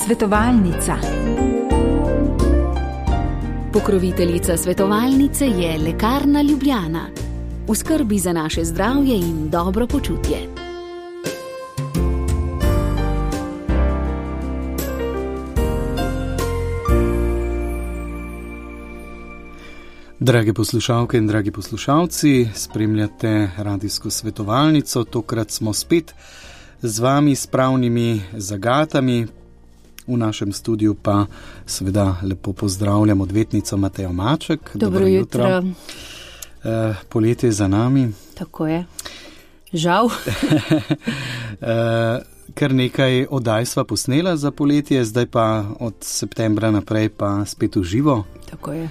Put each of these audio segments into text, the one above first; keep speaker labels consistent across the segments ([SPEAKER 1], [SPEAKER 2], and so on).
[SPEAKER 1] Svetovalnica.
[SPEAKER 2] Pokroviteljica svetovalnice je Lekarna Ljubljana. V skrbi za naše zdravje in dobro počutje.
[SPEAKER 3] Drage poslušalke in dragi poslušalci, spremljate radijsko svetovalnico. Tokrat smo spet z vami s pravnimi zagatami. V našem studiu pa seveda lepo pozdravljam odvetnico Matejo Maček.
[SPEAKER 4] Dobro jutro.
[SPEAKER 3] Poletje je za nami.
[SPEAKER 4] Tako je. Žal.
[SPEAKER 3] Kar nekaj oddaj sva posnela za poletje, zdaj pa od septembra naprej pa spet v živo.
[SPEAKER 4] Tako je.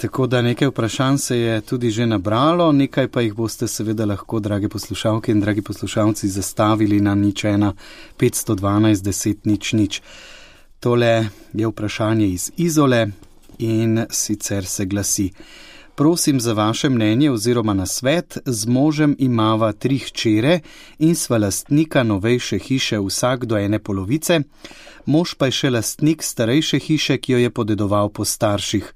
[SPEAKER 3] Tako da nekaj vprašanj se je tudi že nabralo, nekaj pa jih boste seveda lahko, drage poslušalke in dragi poslušalci, zastavili na 01 512 10 00. Tole je vprašanje iz Izole in sicer se glasi: prosim za vaše mnenje oziroma nasvet, z možem imava 3 hčere in sva lastnika novejše hiše vsak do ene polovice, mož pa je še lastnik starejše hiše, ki jo je podedoval po starših.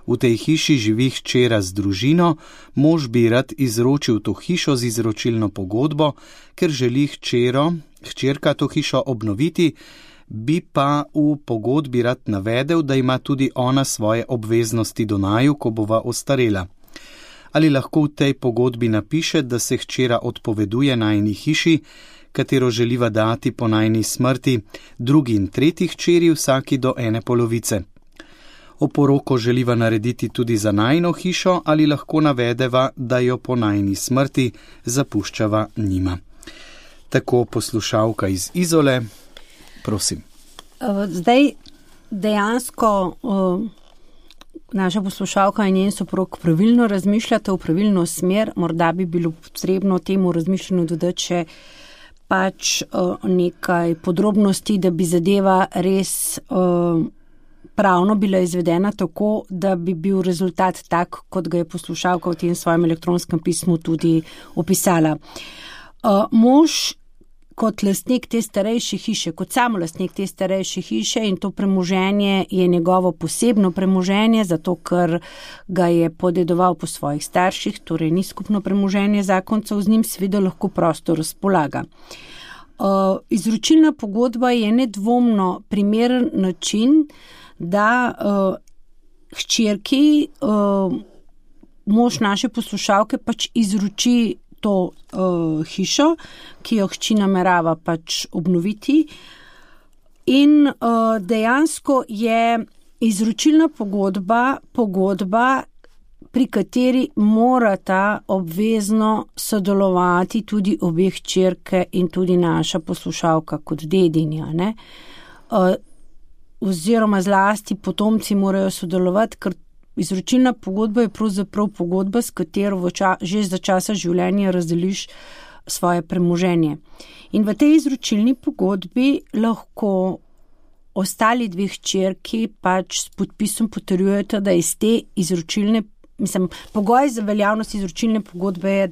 [SPEAKER 3] V tej hiši živi hčera z družino, mož bi rad izročil to hišo z izročilno pogodbo, ker želi hčerka to hišo obnoviti, bi pa v pogodbi rad navedel, da ima tudi ona svoje obveznosti do naju, ko bova ostarela. Ali lahko v tej pogodbi napiše, da se hčera odpoveduje najini hiši, katero želiva dati po najini smrti, drugi in tretji hčeri vsaki do ene polovice. Oporoko želiva narediti tudi za najino hišo, ali lahko navedeva, da jo po najini smrti zapuščava njima. Tako poslušalka iz Izole, prosim.
[SPEAKER 4] Zdaj dejansko naša poslušalka in njen soprog pravilno razmišljata v pravilno smer, morda bi bilo potrebno temu razmišljanju dodati še pač nekaj podrobnosti, da bi zadeva res pravno bila izvedena tako, da bi bil rezultat tak, kot ga je poslušalka v tem svojem elektronskem pismu tudi opisala. Mož kot lastnik te starejše hiše, kot samolastnik te starejše hiše in to premoženje je njegovo posebno premoženje, zato ker ga je podedoval po svojih starših, torej ni skupno premoženje zakoncev, z njim seveda lahko prosto razpolaga. Izročilna pogodba je nedvomno primeren način, da hčerki mož naše poslušalke pač izroči to hišo, ki jo hči namerava pač obnoviti. In dejansko je izročilna pogodba, pri kateri morata obvezno sodelovati tudi obe hčerke in tudi naša poslušalka kot dedinja, ne? Oziroma zlasti potomci morajo sodelovati, ker izročilna pogodba je pravzaprav pogodba, s katero že za časa življenja razdeliš svoje premoženje. In v tej izročilni pogodbi lahko ostali 2 hčerki pač s podpisom potrjujete, da iz te izročilne, pogoj za veljavnost izročilne pogodbe je,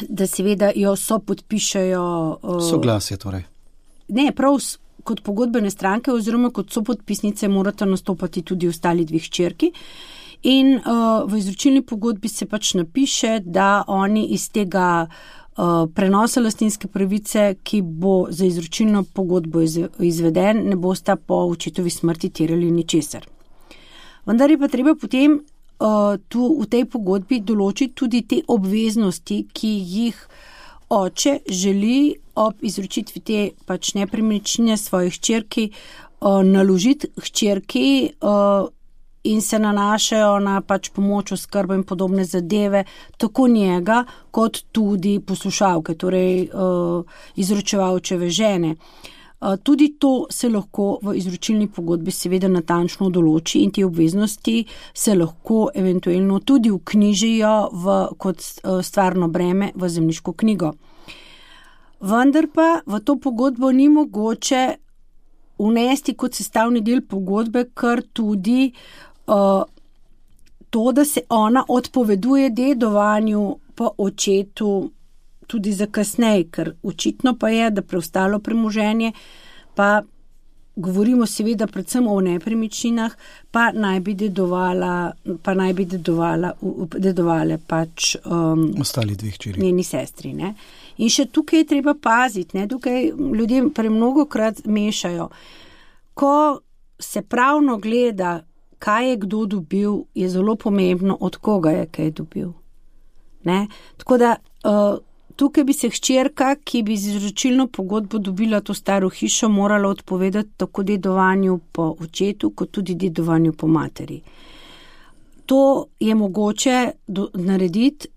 [SPEAKER 4] da seveda jo sopodpišejo.
[SPEAKER 3] Soglasje torej.
[SPEAKER 4] Ne, prav kot pogodbene stranke oziroma kot sopodpisnice morata nastopati tudi ostali 2 hčerki. In v izročilni pogodbi se pač napiše, da oni iz tega prenosa lastninske pravice, ki bo za izročilno pogodbo izveden, ne bosta po očetovi smrti terjali ničesar. Vendar je pa treba potem tu v tej pogodbi določiti tudi te obveznosti, ki jih oče želi ob izročitvi te pač nepremičnine svoji hčerki naložiti hčerki in se nanašajo na pač pomoč, oskrbo in podobne zadeve, tako njega kot tudi poslušalke, torej izročevalčeve žene. Tudi to se lahko v izročilni pogodbi seveda natančno določi in te obveznosti se lahko eventualno tudi vknjižijo kot stvarno breme v zemljiško knjigo. Vendar pa v to pogodbo ni mogoče vnesti kot sestavni del pogodbe, kar tudi to, da se ona odpoveduje dedovanju po očetu tudi za kasneje, ker očitno pa je, da preostalo premoženje, pa govorimo seveda predvsem o nepremičninah, pa naj bi dedovale pač
[SPEAKER 3] ostali dve hčeri.
[SPEAKER 4] Njeni sestri. Ne? In še tukaj je treba paziti, ne? Tukaj ljudje premnogokrat mešajo. Ko se pravno gleda, kaj je kdo dobil, je zelo pomembno, od koga je kaj dobil. Ne? Tako da tukaj bi se hčerka, ki bi z izročilno pogodbo dobila to staro hišo, morala odpovedati tako dedovanju po očetu, kot tudi dedovanju po materi. To je mogoče narediti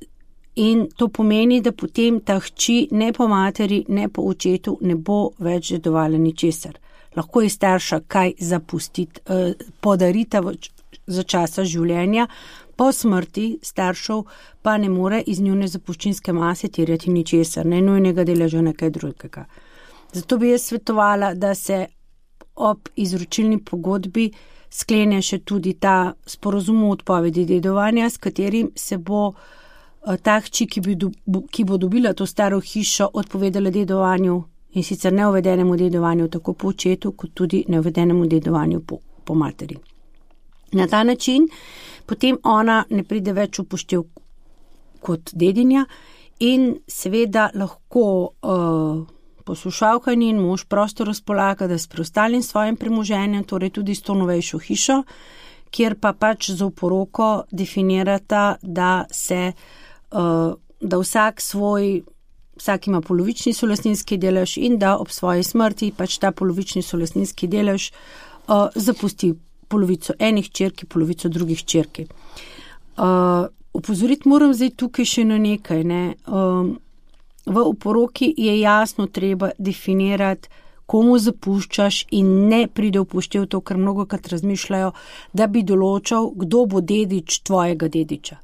[SPEAKER 4] in to pomeni, da potem ta hči ne po materi, ne po očetu ne bo več dedovala ničesar. Lahko je starša kaj zapustiti, podarita za časa življenja, po smrti staršev pa ne more iz njune zapuščinske mase terjati ničesar, ne nujnega deleža nekaj drugega. Zato bi jaz svetovala, da se ob izročilni pogodbi sklene še tudi ta sporazum o odpovedi dedovanja, s katerim se bo ta hči, ki bo dobila to staro hišo, odpovedala dedovanju, in sicer neuvedenemu dedovanju tako po očetu, kot tudi neuvedenemu dedovanju po materi. Na ta način potem ona ne pride več upoštev kot dedinja in seveda lahko poslušalka in mož prosto razpolaga, da s preostalim svojim premoženjem, torej tudi s to novejšo hišo, kjer pa pač za oporoko definirata, da vsak ima polovični solastninski delež in da ob svoji smrti pač ta polovični solastninski delež zapusti polovico enih hčerki, polovico drugih hčerki. Opozoriti moram zdaj tukaj še na nekaj. Ne? V oporoki je jasno treba definirati, komu zapuščaš in ne pride upoštev to, kar mnogokrat razmišljajo, da bi določal, kdo bo dedič tvojega dediča.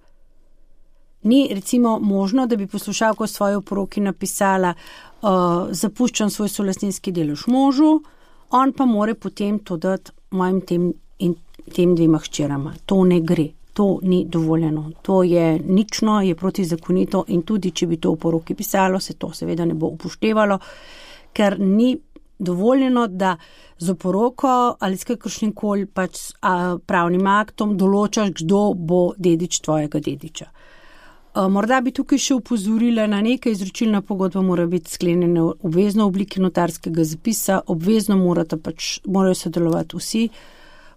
[SPEAKER 4] Ni recimo možno, da bi poslušalka v svoji oporoki napisala zapuščam svoj solastninski delež možu, on pa more potem to dati mojim tem dvema hčerama. To ne gre, to ni dovoljeno. To je nično, je protizakonito in tudi, če bi to v oporoki pisalo, se to seveda ne bo upoštevalo, ker ni dovoljeno, da z oporoko ali s kakršnimkoli pač pravnim aktom določaš, kdo bo dedič tvojega dediča. Morda bi tukaj še upozorila na nekaj. Izročilna pogodba mora biti sklenjena obvezno v obliki notarskega zapisa, obvezno morajo sodelovati vsi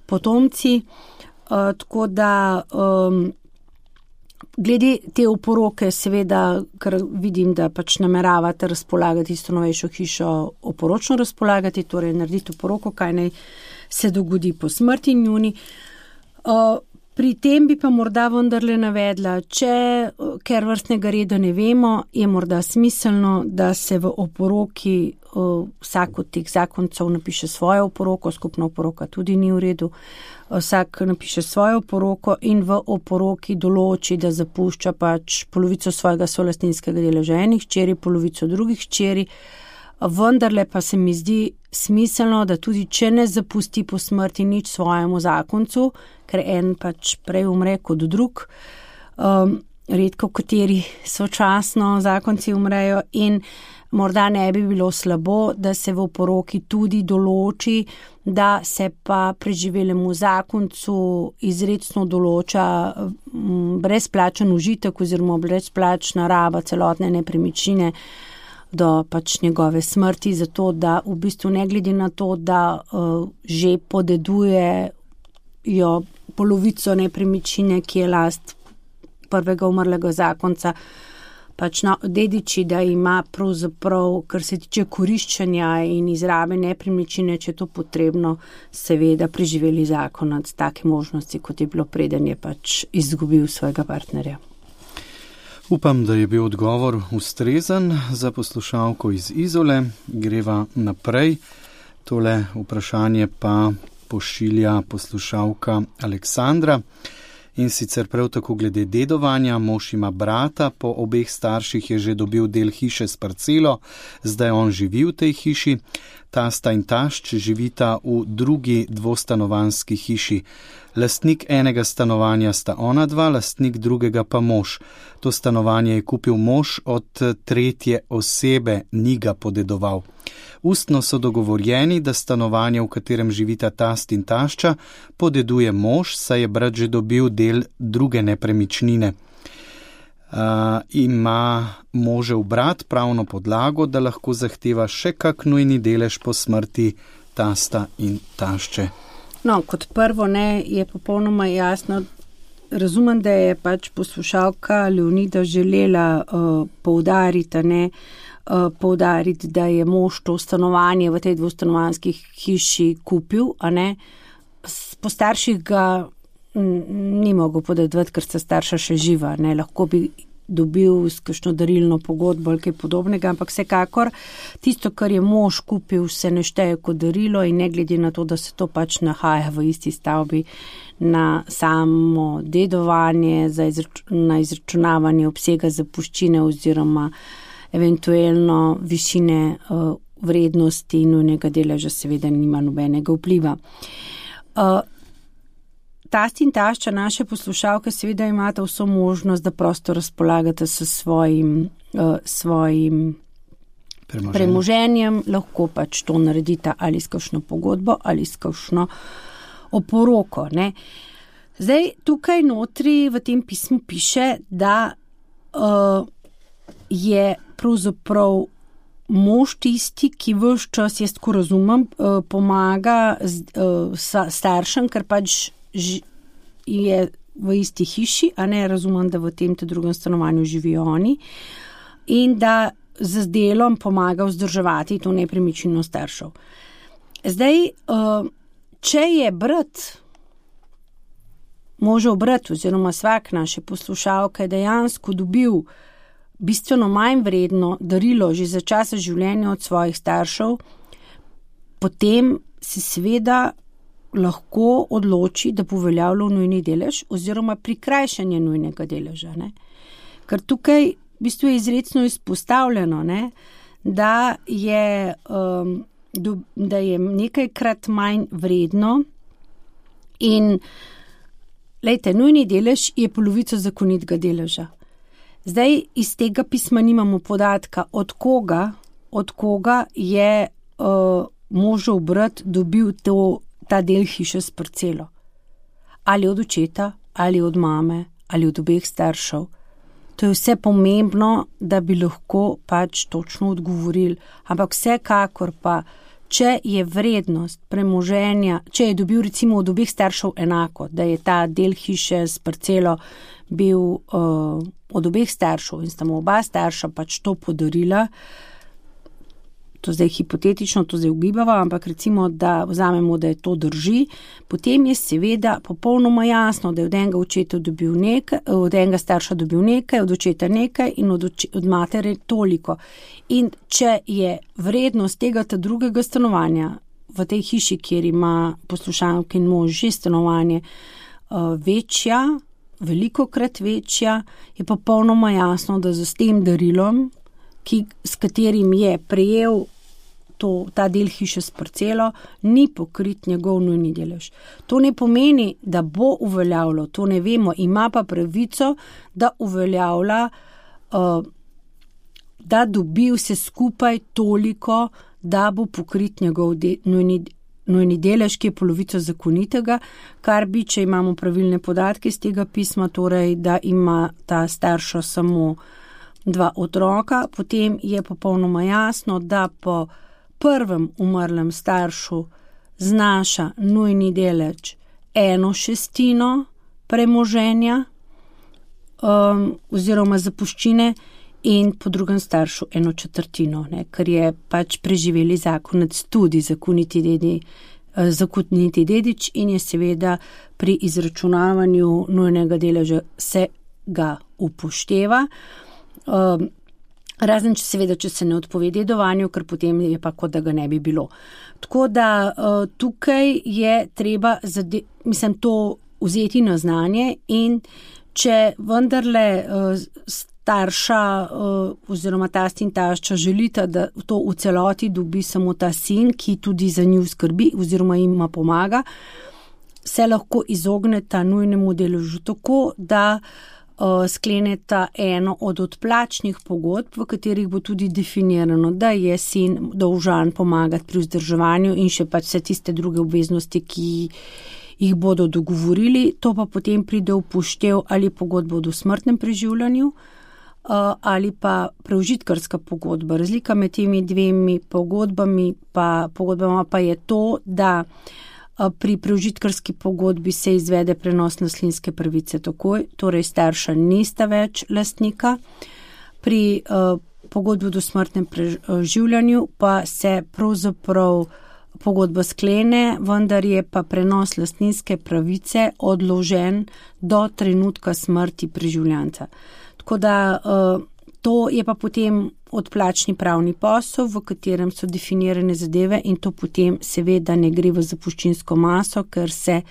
[SPEAKER 4] potomci, tako da glede te oporoke seveda, ker vidim, da pač nameravate razpolagati isto novejšo hišo, oporočno razpolagati, torej narediti oporoko, kaj naj se dogodi po smrti njuni. Pri tem bi pa morda vendarle navedla, ker vrstnega reda ne vemo, je morda smiselno, da se v oporoki vsak od teh zakoncev napiše svojo oporoko, skupna oporoka tudi ni v redu, vsak napiše svojo oporoko in v oporoki določi, da zapušča pač polovico svojega solastninskega deleža enih hčeri, polovico drugih hčeri. Vendarle pa se mi zdi smiselno, da tudi če ne zapusti po smrti nič svojemu zakoncu, ker en pač prej umre kot drug, redko kateri sočasno zakonci umrejo in morda ne bi bilo slabo, da se v oporoki tudi določi, da se pa preživelemu zakoncu izrecno določa brezplačen užitek oziroma brezplačna raba celotne nepremičnine do pač njegove smrti, zato da v bistvu ne glede na to, da že podedujejo polovico nepremičnine, ki je last prvega umrlega zakonca, pač dediči, da ima pravzaprav, kar se tiče koriščenja in izrabe nepremičnine, če je to potrebno, seveda preživeli zakonac take možnosti, kot je bilo preden je pač izgubil svojega partnerja.
[SPEAKER 3] Upam, da je bil odgovor ustrezen za poslušalko iz Izole. Greva naprej. Tole vprašanje pa pošilja poslušalka Aleksandra In sicer prav tako glede dedovanja, mož ima brata, po obeh starših je že dobil del hiše s parcelo, zdaj on živi v tej hiši. Tasta in tašč živita v drugi dvostanovanjski hiši. Lastnik enega stanovanja sta ona dva, lastnik drugega pa mož. To stanovanje je kupil mož od tretje osebe, ni ga podedoval. Ustno so dogovorjeni, da stanovanje, v katerem živita tast in tašča, podeduje mož, saj je brat že dobil del druge nepremičnine. Ima možev brat pravno podlago, da lahko zahteva še kak nujni delež po smrti tasta in tašče.
[SPEAKER 4] No, kot prvo je popolnoma jasno, razumem, da je pač poslušalka Leonida želela poudariti, da je mož to stanovanje v tej dvostanovanjski hiši kupil, po starših ga ni mogel podedovati, ker sta starša še živa, lahko bi dobil s kakšno darilno pogodbo ali kaj podobnega, ampak vsekakor tisto, kar je mož kupil, se ne šteje kot darilo in ne glede na to, da se to pač nahaja v isti stavbi, na samo dedovanje, na izračunavanje obsega zapuščine oziroma eventualno višine vrednosti nujnega deleža seveda nima nobenega vpliva. Tast in tašča naše poslušalke seveda imate vso možnost, da prosto razpolagate s svojim premoženjem, lahko pač to naredite ali s kakšno pogodbo ali s kakšno oporoko. Zdaj, tukaj notri v tem pismu piše, da je pravzaprav mož tisti, ki ves čas, jaz tako razumem, pomaga staršem, ker pač je v isti hiši, razumem, da v tem drugem stanovanju živijo oni in da z delom pomaga vzdrževati to nepremičnino staršev. Zdaj, če je možev brat oziroma svak naše poslušalke dejansko dobil bistveno manj vredno darilo že za časa življenja od svojih staršev, potem se seveda lahko odloči, da bo uveljavljal nujni delež oziroma prikrajšanje nujnega deleža. Ker tukaj v bistvu je izrecno izpostavljeno, da je nekajkrat manj vredno in nujni delež je polovica zakonitega deleža. Zdaj iz tega pisma nimamo podatka, od koga je možev brat dobil ta del hiše s parcelo. Ali od očeta, ali od mame, ali od obeh staršev. To je vse pomembno, da bi lahko pač točno odgovorili. Ampak vsekakor pa, če je vrednost premoženja, če je dobil recimo od obeh staršev enako, da je ta del hiše s parcelo bil od obeh staršev in sta mu oba starša pač to podarila, to zdaj hipotetično, to zdaj ugibava, ampak recimo, da vzamemo, da je to drži, potem je seveda popolnoma jasno, da je od enega očeta dobil nekaj, od enega starša dobil nekaj, od očeta nekaj in od matere toliko. In če je vrednost tega drugega stanovanja v tej hiši, kjer ima poslušalka in mož že stanovanje, večja, velikokrat večja, je popolnoma jasno, da z tem darilom, s katerim je prejel ta del hiše s parcelo, ni pokrit njegov nujni delež. To ne pomeni, da bo uveljavljal, to ne vemo, ima pa pravico, da uveljavlja, da dobi vse skupaj toliko, da bo pokrit njegov nujni delež, ki je polovica zakonitega, kar bi, če imamo pravilne podatke iz tega pisma, torej, da ima ta starša samo 2 otroka, potem je popolnoma jasno, da po prvem umrlem staršu znaša nujni delež 1/6 premoženja oziroma zapuščine in po drugem staršu 1/4, ker je pač preživeli zakonec tudi zakoniti dedič in je seveda pri izračunavanju nujnega deleža se ga upošteva. Razen, če se ne odpove dedovanju, ker potem je pa kot da ga ne bi bilo. Tako da tukaj je treba, to vzeti na znanje in če vendarle starša oziroma tast in tašča želita, da to v celoti dobi samo ta sin, ki tudi za njih skrbi oziroma jima pomaga, se lahko izogneta nujnemu deležu tako, da skleneta eno od odplačnih pogodb, v katerih bo tudi definirano, da je sin dolžan pomagati pri vzdrževanju in še pač vse tiste druge obveznosti, ki jih bodo dogovorili. To pa potem pride v poštev ali pogodbo o dosmrtnem preživljanju ali pa preužitkarska pogodba. Razlika med temi dvemi pogodbama pa je to, da pri preužitkarski pogodbi se izvede prenos naslinske pravice takoj, torej starša nista več lastnika. Pri pogodbi o dosmrtnem preživljanju pa se pravzaprav pogodba sklene, vendar je pa prenos lastninske pravice odložen do trenutka smrti preživljanca. Tako da to je pa potem odplačni pravni posel, v katerem so definirane zadeve in to potem seveda ne gre v zapuščinsko maso, ker se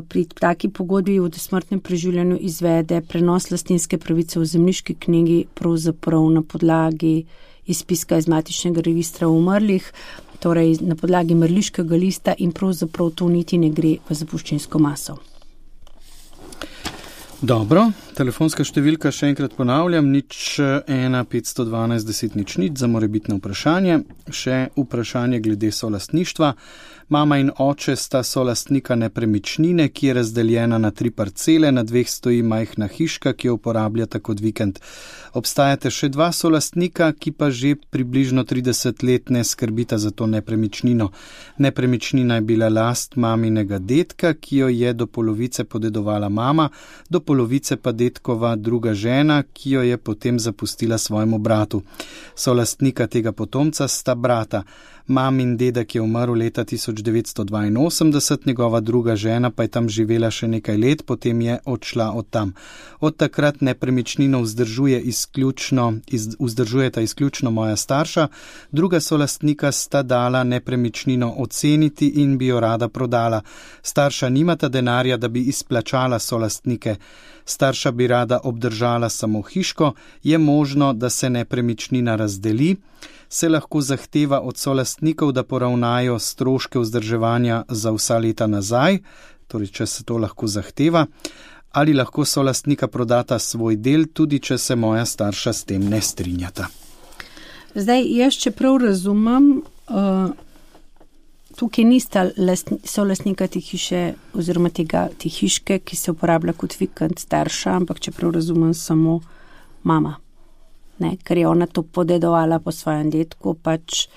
[SPEAKER 4] pri taki pogodbi o dosmrtnem preživljanju izvede prenos lastninske pravice v zemljiški knjigi pravzaprav na podlagi izpiska iz matičnega registra umrlih, torej na podlagi mrliškega lista in pravzaprav to niti ne gre v zapuščinsko maso.
[SPEAKER 3] Dobro, telefonska številka še enkrat ponavljam, 01 512 10 00 za morebitno vprašanje. Še vprašanje glede solastništva. Mama in oče sta solastnika nepremičnine, ki je razdeljena na 3 parcele, na 2 stoji majhna hiška, ki jo uporabljata kot vikend. Obstajate še 2 solastnika, ki pa že približno 30 let ne skrbita za to nepremičnino. Nepremičnina je bila last maminega dedka, ki jo je do polovice podedovala mama, do polovice pa dedkova druga žena, ki jo je potem zapustila svojemu bratu. Solastnika tega potomca sta brata. Mamin dedek je umrl leta 1982, njegova druga žena pa je tam živela še nekaj let, potem je odšla od tam. Od takrat nepremičnino vzdržujeta izključno moja starša, druga solastnika sta dala nepremičnino oceniti in bi jo rada prodala. Starša nimata denarja, da bi izplačala solastnike. Starša bi rada obdržala samo hiško, je možno, da se nepremičnina razdeli. Se lahko zahteva od solastnikov, da poravnajo stroške vzdrževanja za vsa leta nazaj, torej če se to lahko zahteva, ali lahko solastnika prodata svoj del, tudi če se moja starša s tem ne strinjata.
[SPEAKER 4] Zdaj, jaz čeprav razumem, tukaj nista solastnika te hiše oziroma te hiške, ki se uporablja kot vikend starša, ampak čeprav razumem samo mama. Ne, ker je ona to podedovala po svojem dedku, pač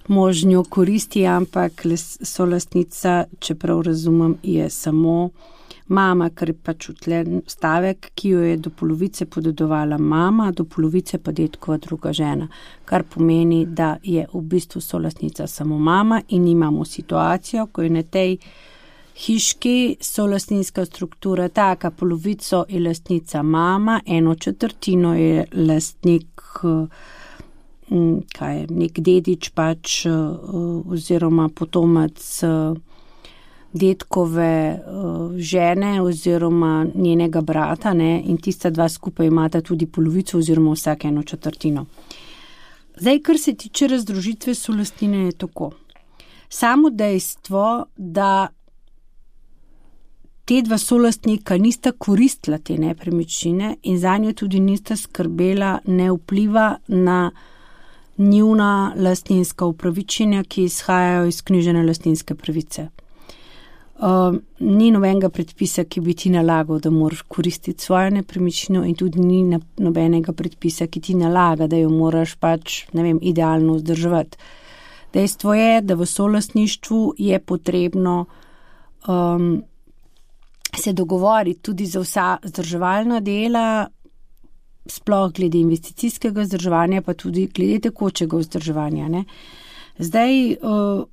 [SPEAKER 4] možnjo koristi, ampak solastnica, čeprav razumem, je samo mama, ker je pač utlen stavek, ki jo je do polovice podedovala mama, do polovice pa dedkova druga žena, kar pomeni, da je v bistvu solastnica samo mama in imamo situacijo, ko je na tej hiški solastninska struktura taka, polovico je lastnica mama, 1/4 je lastnik, nek dedič pač oziroma potomec dedkove žene oziroma njenega brata, ne, in tista 2 skupaj imata tudi polovico oziroma vsak 1/4. Zdaj, kar se tiče razdružitve solastnine, je tako. Samo dejstvo, da te 2 solastnika nista koristila te nepremičnine in zanjo tudi nista skrbela, ne vpliva na njuna lastninska upravičenja, ki izhajajo iz knjižene lastninske pravice. Ni nobenega predpisa, ki bi ti nalagal, da moraš koristiti svojo nepremičnino in tudi ni nobenega predpisa, ki ti nalaga, da jo moraš pač, ne vem, idealno vzdrževati. Dejstvo je, da v solastništvu je potrebno se dogovoriti tudi za vsa vzdrževalna dela, sploh glede investicijskega vzdrževanja, pa tudi glede tekočega vzdrževanja, ne. Zdaj,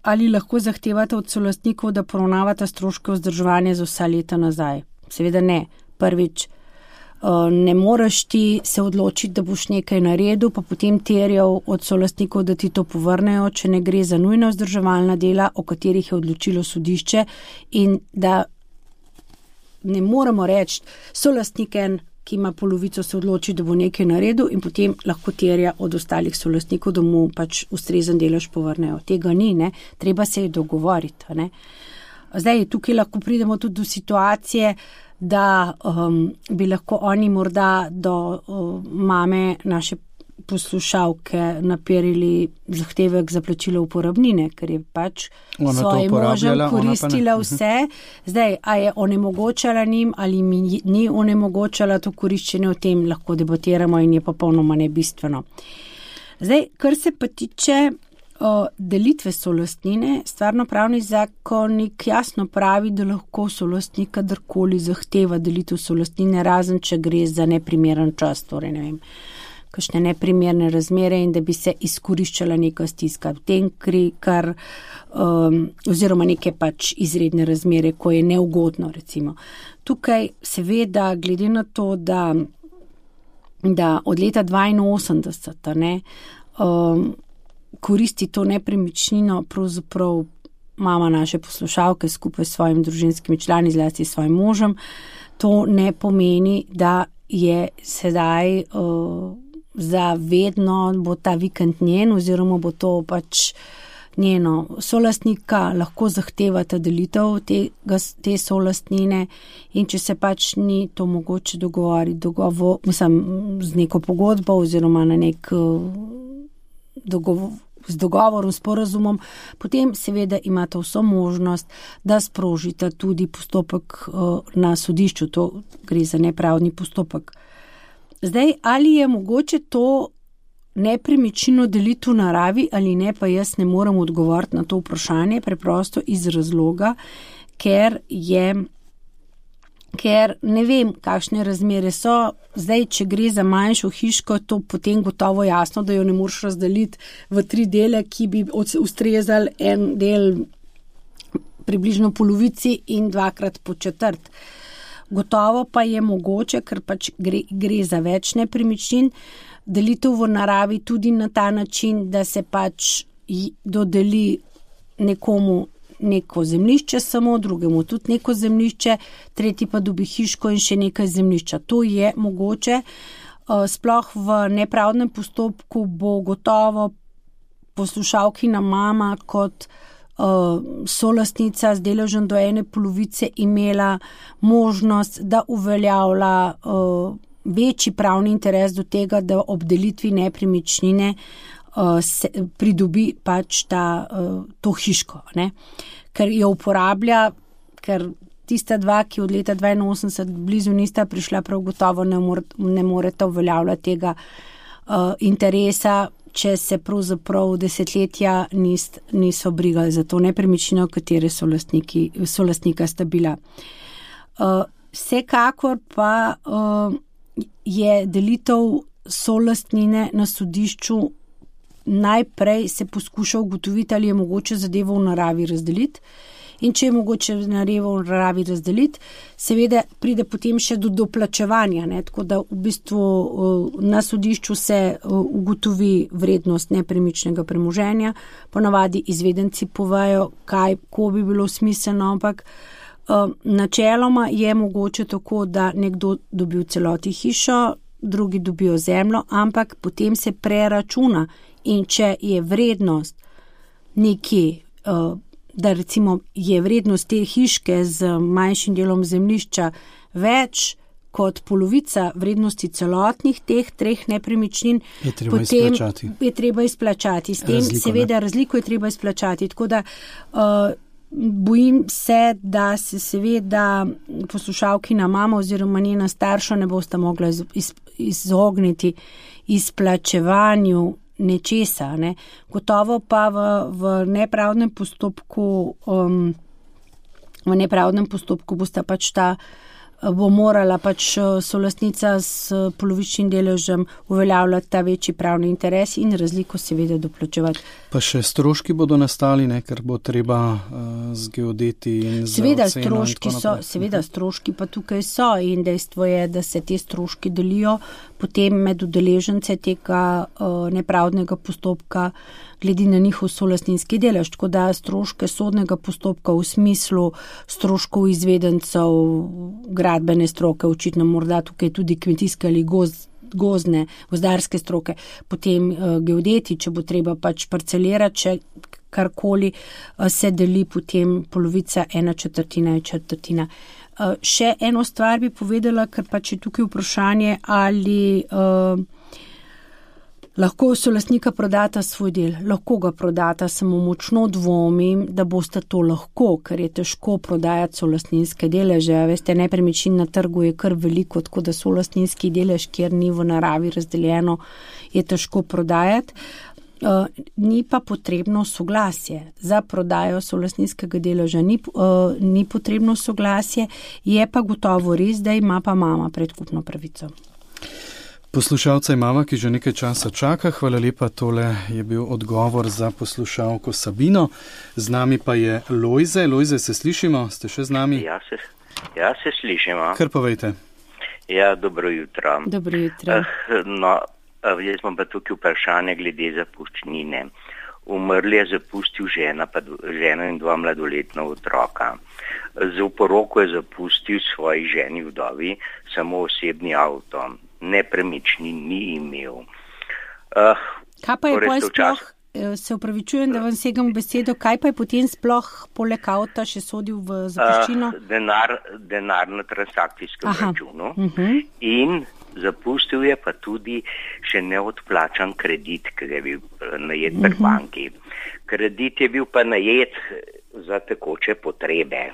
[SPEAKER 4] ali lahko zahtevate od solastnikov, da poravnavata stroške vzdrževanja za vsa leta nazaj? Seveda ne. Prvič, ne moreš ti se odločiti, da boš nekaj naredil, pa potem terjal od solastnikov, da ti to povrnejo, če ne gre za nujna vzdrževalna dela, o katerih je odločilo sodišče in da ne moremo reči, solastnik en, ki ima polovico, se odloči, da bo nekaj naredil in potem lahko terja od ostalih solastnikov, da mu pač ustrezen delež povrnejo. Tega ni, ne? Treba se je dogovoriti. Ne? Zdaj, tukaj lahko pridemo tudi do situacije, da bi lahko oni morda do mame naše poslušalke naperili zahtevek za plačilo uporabnine, ker je pač svojim možem koristila vse. Zdaj, a je onemogočala njim ali mi ni onemogočala to koriščenje, o tem lahko debatiramo in je popolnoma nebistveno. Zdaj, kar se pa tiče delitve solastnine, stvarnopravni zakonik jasno pravi, da lahko solastnik kadarkoli zahteva delitev solastnine, razen če gre za neprimeren čas, torej ne vem, kakšne neprimerne razmere in da bi se izkoriščala neka stiska v tem, kar oziroma neke pač izredne razmere, ko je neugodno, recimo. Tukaj seveda, glede na to, da od leta 82, ne, koristi to nepremičnino pravzaprav mama naše poslušalke skupaj s svojim družinskimi člani, zlasti s svojim možem, to ne pomeni, da je sedaj za vedno bo ta vikend njen oziroma bo to pač njeno. Solastnika lahko zahtevata delitev te solastnine in če se pač ni to mogoče dogovoriti z neko pogodbo oziroma na nek z dogovorom, sporazumom, potem seveda imate vso možnost, da sprožite tudi postopek na sodišču. To gre za nepravdni postopek. Zdaj, ali je mogoče to nepremičnino deliti v naravi ali ne, pa jaz ne morem odgovoriti na to vprašanje, preprosto iz razloga, ker ne vem, kakšne razmere so. Zdaj, če gre za manjšo hiško, to potem gotovo jasno, da jo ne moreš razdeliti v 3 dele, ki bi ustrezali en del približno polovici in 2krat po četrt. Gotovo pa je mogoče, ker pač gre za več nepremičnin, delitev v naravi tudi na ta način, da se pač dodeli nekomu neko zemljišče samo, drugemu tudi neko zemljišče, tretji pa dobi hiško in še nekaj zemljišča. To je mogoče. Sploh v nepravdnem postopku bo gotovo poslušalkina mama kot solastnica z deležem do 1/2 imela možnost, da uveljavlja večji pravni interes do tega, da ob delitvi nepremičnine pridobi pač to hiško, ne? Ker jo uporablja, ker tista 2, ki od leta 82 blizu nista prišla, prav gotovo ne moreta uveljavljati tega interesa, če se pravzaprav desetletja niso brigali za to nepremičnino, katere solastnika sta bila. Vsekakor pa je delitev solastnine na sodišču najprej se poskuša ugotoviti, ali je mogoče zadevo v naravi razdeliti. In če je mogoče zadevo v naravi razdeliti, seveda pride potem še do doplačevanja, ne? Tako da v bistvu na sodišču se ugotovi vrednost nepremičnega premoženja, ponavadi izvedenci povejo, ko bi bilo smiselno, ampak načeloma je mogoče tako, da nekdo dobi v celoti hišo, drugi dobijo zemljo, ampak potem se preračuna in če je vrednost nekje, da recimo je vrednost te hiške z manjšim delom zemljišča več kot polovica vrednosti celotnih teh 3 nepremičnin, potem je treba izplačati. S tem seveda razliko je treba izplačati. Tako da bojim se, da se seveda poslušalkina mama oziroma njena starša ne bosta mogla izogniti izplačevanju nečesa, ne. Gotovo pa v nepravdnem postopku bosta pač ta bo morala pač solastnica s polovičnim deležem uveljavljati ta večji pravni interes in razliko seveda doplačevati.
[SPEAKER 3] Pa še stroški bodo nastali, ne, ker bo treba z geodeti in
[SPEAKER 4] seveda stroški so, seveda stroški pa tukaj so in dejstvo je, da se te stroški delijo potem med udeležence tega nepravdnega postopka glede na njihov solastninski delež, tako da stroške sodnega postopka v smislu stroškov izvedencev, gradbene stroke, očitno morda tukaj tudi kmetijske ali gozdne, gozdarske stroke, potem geodeti, če bo treba pač parcelirati, če karkoli se deli potem polovica, 1/4. Še eno stvar bi povedala, ker pač je tukaj vprašanje, ali lahko solastnika prodata svoj del, lahko ga prodata, samo močno dvomim, da boste to lahko, ker je težko prodajati solastninske deleže. Veste, nepremičnin na trgu je kar veliko, tako da solastninski delež, kjer ni v naravi razdeljeno, je težko prodajati. Ni pa potrebno soglasje. Za prodajo solastninskega deleža ni potrebno soglasje, je pa gotovo res, da ima pa mama predkupno pravico.
[SPEAKER 3] Poslušalca imamo, ki že nekaj časa čaka. Hvala lepa, tole je bil odgovor za poslušalko Sabino. Z nami pa je Lojze. Lojze, se slišimo? Ste še z nami?
[SPEAKER 1] Ja, se slišimo.
[SPEAKER 3] Kar povejte.
[SPEAKER 1] Ja, dobro jutro.
[SPEAKER 4] Dobro jutro.
[SPEAKER 1] Jaz imam pa tukaj vprašanje glede zapuščnine. Umrl je zapustil ženo in 2 mladoletna otroka. Z oporoko je zapustil svoji ženi vdovi samo osebni avto. Nepremičnin ni imel.
[SPEAKER 4] Kaj pa je potem sploh, se upravičujem, da vam segam v besedo, kaj pa je potem sploh poleg avta še sodil v zapuščino?
[SPEAKER 1] Denar na transakcijskem računu in zapustil je pa tudi še neodplačan kredit, ki je bil najet pri banki. Kredit je bil pa najet za tekoče potrebe.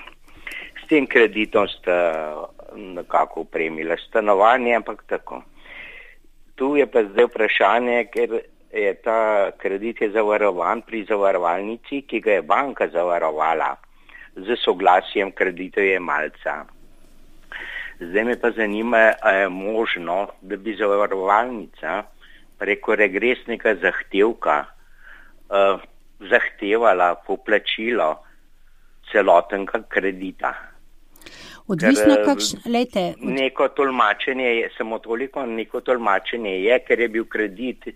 [SPEAKER 1] S tem kreditom sta nekako opremila stanovanje, ampak tako. Tu je pa zdaj vprašanje, ker je ta kredit je zavarovan pri zavarovalnici, ki ga je banka zavarovala z soglasjem kreditojemalca. Zdaj me pa zanima, a je možno, da bi zavarovalnica preko regresnega zahtevka zahtevala poplačilo celotenega kredita.
[SPEAKER 4] Odvisno lejte.
[SPEAKER 1] Neko tolmačenje je, samo toliko, neko tolmačenje je, ker je bil kredit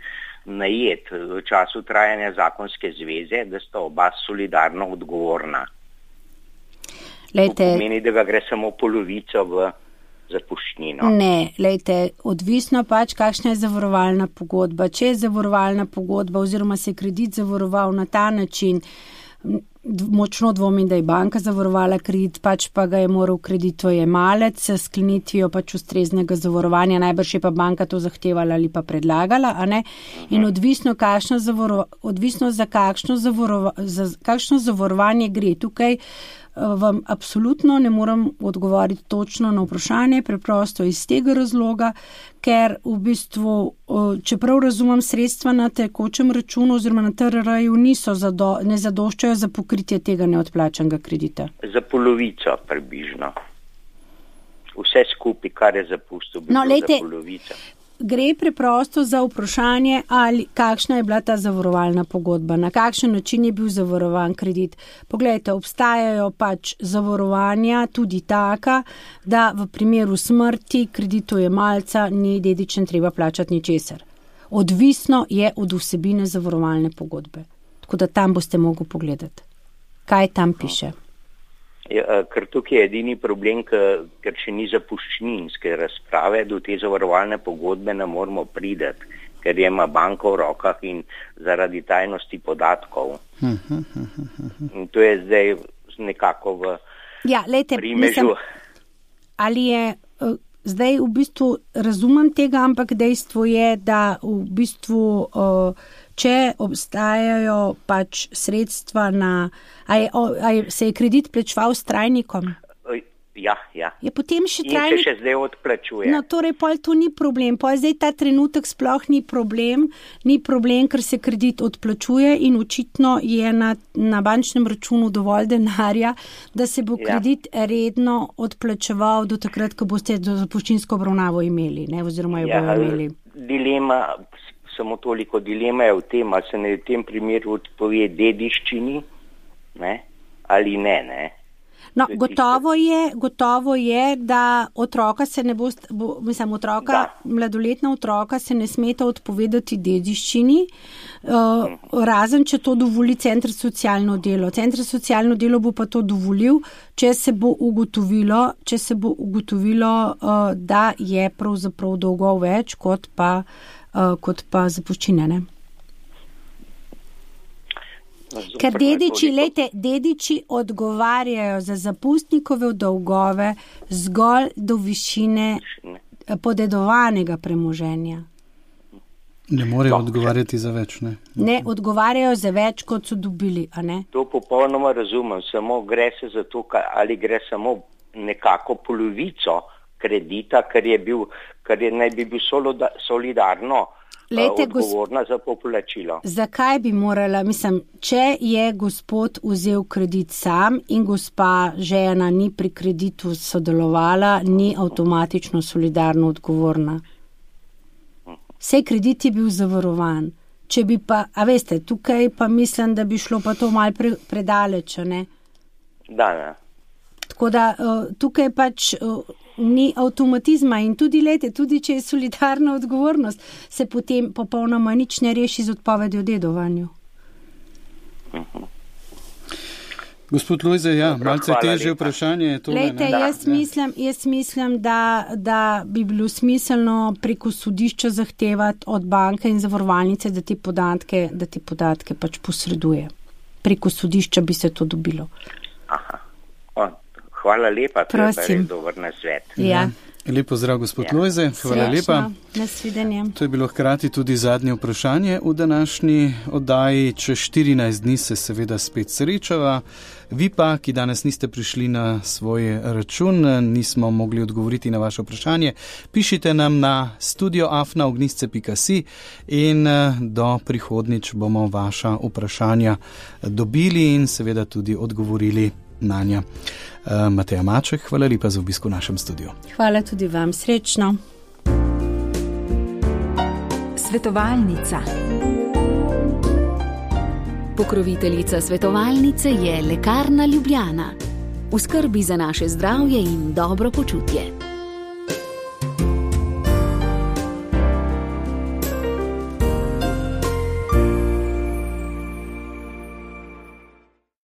[SPEAKER 1] najet v času trajanja zakonske zveze, da sta oba solidarno odgovorna.
[SPEAKER 4] Lejte.
[SPEAKER 1] To pomeni, da ga gre samo polovico v zapuščnino.
[SPEAKER 4] Ne, lejte, odvisno pač, kakšna je zavarovalna pogodba. Če je zavarovalna pogodba oziroma se kredit zavaroval na ta način, močno dvomim, da je banka zavarovala kredit, pač pa ga je moral kreditojemalec s sklenitvijo pač ustreznega zavarovanja, najbrž je pa banka to zahtevala ali pa predlagala, a ne? In odvisno za kakšno zavarovanje gre. Tukaj vam absolutno ne morem odgovoriti točno na vprašanje, preprosto iz tega razloga, ker v bistvu, čeprav razumem, sredstva na tekočem računu oziroma na TRR-ju ne zadoščajo za pokritje tega neodplačanega kredita.
[SPEAKER 1] Za polovico približno. Vse skupaj, kar je zapustil, bi za polovico.
[SPEAKER 4] Gre preprosto za vprašanje, ali kakšna je bila ta zavarovalna pogodba, na kakšen način je bil zavarovan kredit. Poglejte, obstajajo pač zavarovanja tudi taka, da v primeru smrti kreditojemalca ni dedičem treba plačati ničesar. Odvisno je od vsebine zavarovalne pogodbe. Tako da tam boste mogli pogledati, kaj tam piše.
[SPEAKER 1] Ja, ker tukaj je edini problem, ker še ni zapuščninske razprave, do te zavarovalne pogodbe ne moramo priti, ker je ima banka v rokah in zaradi tajnosti podatkov. In to je zdaj nekako v primežu.
[SPEAKER 4] Ali je zdaj v bistvu razumem tega, ampak dejstvo je, da v bistvu če obstajajo pač sredstva se je kredit plačeval s trajnikom?
[SPEAKER 1] Ja.
[SPEAKER 4] Je potem še
[SPEAKER 1] in se še zdaj odplačuje.
[SPEAKER 4] No, torej, pol to ni problem. Pol zdaj ta trenutek sploh ni problem, ker se kredit odplačuje in očitno je na bančnem računu dovolj denarja, da se bo kredit redno odplačeval do takrat, ko boste zapuščinsko obravnavo imeli, ne, oziroma jo bojo imeli.
[SPEAKER 1] Dilema, samo toliko dilema je v tem, ali se ne v tem primeru odpove dediščini, ne, ali ne.
[SPEAKER 4] No, gotovo je, da otroka se ne bo, mladoletna otroka se ne smeta odpovedati dediščini, razen če to dovoli Center za socialno delo. Center za socialno delo bo pa to dovolil, če se bo ugotovilo, da je pravzaprav dolgov več kot pa zapuščine. Ker dediči odgovarjajo za zapustnikove dolgove zgolj do višine podedovanega premoženja.
[SPEAKER 3] Ne morejo odgovarjati za več, ne?
[SPEAKER 4] Ne, odgovarjajo za več, kot so dobili, a ne?
[SPEAKER 1] To popolnoma razumem, samo gre se za to, ali gre samo nekako polovico kredita, ker naj bi bil solidarno odgovorna za poplačilo.
[SPEAKER 4] Zakaj bi morala, če je gospod vzel kredit sam in gospa žena ni pri kreditu sodelovala, ni avtomatično solidarno odgovorna. Sej kredit je bil zavarovan. Če bi pa, tukaj pa mislim, da bi šlo pa to malo predaleč, ne?
[SPEAKER 1] Da.
[SPEAKER 4] Tako da tukaj pač ni avtomatizma in tudi če je solidarna odgovornost, se potem popolnoma nič ne reši z odpovedjo dedovanju.
[SPEAKER 3] Gospod Lojze, malce težje vprašanje je to.
[SPEAKER 4] Jaz mislim, da bi bilo smiselno preko sodišča zahtevati od banke in zavarovalnice, da te podatke pač posreduje. Preko sodišča bi se to dobilo.
[SPEAKER 1] Hvala lepa, to je res dober nasvet.
[SPEAKER 4] Ja.
[SPEAKER 3] Lep pozdrav, gospod Lojze. Hvala lepa.
[SPEAKER 4] Nasvidenje.
[SPEAKER 3] To je bilo hkrati tudi zadnje vprašanje v današnji oddaji. Čez 14 dni se seveda spet srečava. Vi pa, ki danes niste prišli na svoj račun, nismo mogli odgovoriti na vaše vprašanje, pišite nam na studio@ognisce.si in do prihodnič bomo vaša vprašanja dobili in seveda tudi odgovorili na nja. Mateja Maček, hvala lepa za obisk v našem studiu.
[SPEAKER 4] Hvala tudi vam, srečno.
[SPEAKER 2] Svetovalnica. Pokroviteljica svetovalnice je Lekarna Ljubljana. V skrbi za naše zdravje in dobro počutje.